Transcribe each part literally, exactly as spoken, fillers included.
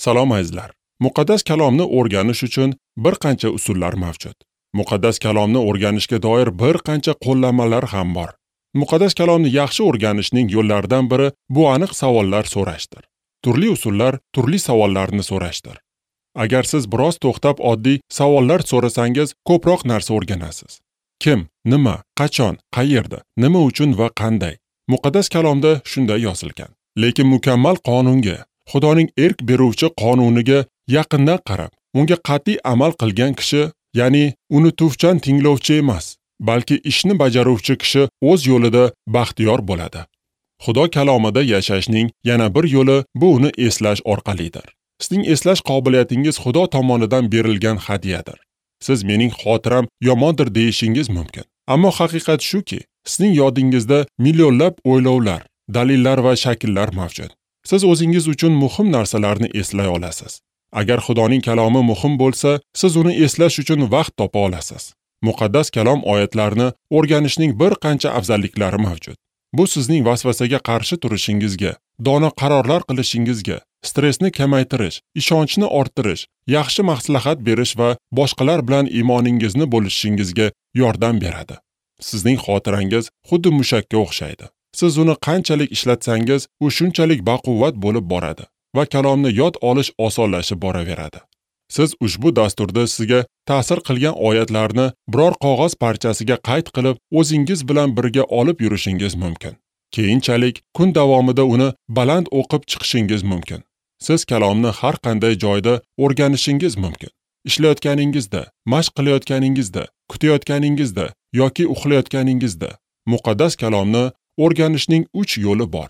Salom azizlar. Muqaddas kalomni o'rganish uchun bir qancha usullar mavjud. Muqaddas kalomni o'rganishga doir bir qancha qo'llanmalar ham bor. Muqaddas kalomni yaxshi o'rganishning yo'llaridan biri bu aniq savollar so'rashdir. Turli usullar turli savollarni so'rashdir. Agar siz biroz to'xtab oddiy savollar so'rasangiz, ko'proq narsa o'rganasiz. Kim, nima, qachon, qayerda, nima uchun va qanday? Muqaddas kalomda shunday yozilgan. Lekin mukammal qonunga, Xudoning erk beruvchi qonuniga yaqindan qarab, unga qat'iy amal qilgan kishi, ya'ni uni tuvchan tinglovchi emas, balki ishni bajaruvchi kishi o'z yo'lida baxtiyor bo'ladi. Xudo kalomida yashashning yana bir yo'li bu uni eslash orqalidir. Sizning eslash qobiliyatingiz Xudo tomonidan berilgan hadyadir. Siz mening xotiram yomondir deyishingiz mumkin. Ammo haqiqat shuki, sizning yodingizda millionlab o'ylovlar, dalillar va shakllar mavjud. Siz o'zingiz uchun muhim narsalarni eslay olasiz. Agar Xudoning kalomi muhim bo'lsa, siz uni eslash uchun vaqt topa olasiz. Muqaddas kalom oyatlarini o'rganishning bir qancha afzalliklari mavjud. Bu sizning vasvasaga qarshi turishingizga, dono qarorlar qilishingizga, stressni kamaytirish, ishonchni orttirish, yaxshi maslahat berish va boshqalar bilan iymoningizni bo'lishingizga yordam beradi. Sizning xotirangiz xuddi mushakka o'xshaydi. Siz uni qanchalik ishlatsangiz, u shunchalik baquvvat bo'lib boradi va kalomni yod olish osonlashib boraveradi. Siz ushbu dasturda sizga ta'sir qilgan oyatlarni biror qog'oz parchasiga qayd qilib, o'zingiz bilan birga olib yurishingiz mumkin. Keyinchalik kun davomida uni baland o'qib chiqishingiz mumkin. Siz kalomni har qanday joyda o'rganishingiz mumkin. Ishlayotganingizda, mashq qilayotganingizda, kutayotganingizda yoki uxlayotganingizda muqaddas kalomni o'rganishning uch yo'li bor.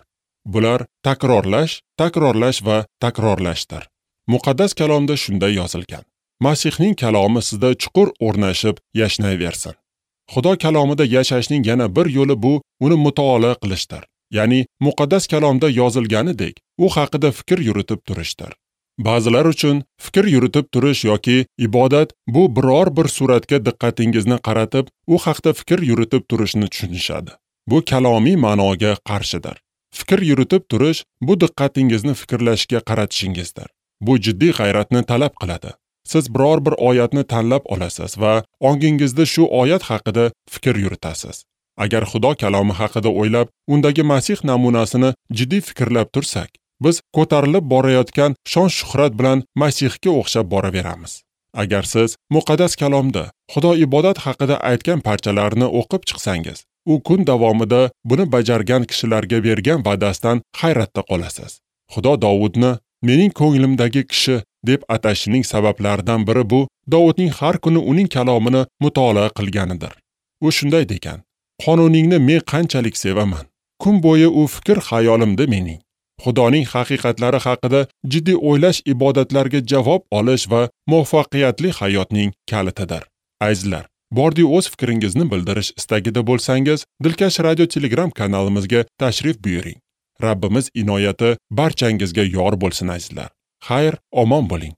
Bular takrorlash, takrorlash va takrorlashdir. Muqaddas kalomda shunday yozilgan: Masihning kalomi sizda chuqur o'rnashib yashnayversin. Xudo kalomida yashashning yana bir yo'li bu uni mutolaa qilishdir. Ya'ni muqaddas kalomda yozilganidek, u haqida fikr yuritib turishdir. Ba'zilar uchun fikr yuritib turish yoki ibodat bu biror bir suratga diqqatingizni qaratib, u haqda fikr yuritib turishni tushunishadi. Bu kalomiy ma'noga qarshidir. Fikr yuritib turish bu diqqatingizni fikrlashga qaratishingizdir. Bu jiddiy g'ayratni talab qiladi. Siz biror bir oyatni tanlab olasiz va ongingizda shu oyat haqida fikr yuritasiz. Agar Xudo kalomi haqida o'ylab, undagi Masih namunasini jiddiy fikrlab tursak, biz ko'tarilib borayotgan shon-shuhrat bilan Masihga o'xshab boraveramiz. Agar siz muqaddas kalomda Xudo ibodat haqida aytgan parchalarni o'qib chiqsangiz, u kun davomida buni bajargan kishilarga bergan va'dasidan hayratda qolasiz. Xudo Dovudni mening ko'nglimdagi kishi deb atashining sabablaridan biri bu Dovudning har kuni uning kalomini mutolaa qilganidir. U shunday degan: Qonuningni men qanchalik sevaman. Kun bo'yi u fikr xayolimda mening. Xudoning haqiqatlari haqida jiddiy o'ylash ibodatlarga javob olish va muvaffaqiyatli hayotning kalitidir. Azizlar, bordi o'z fikringizni bildirish istagida bo'lsangiz, Dilkash Radio Telegram kanalimizga tashrif buyuring. Rabbimiz inoyati barchangizga yor bo'lsin azizlar. Xayr, omon bo'ling.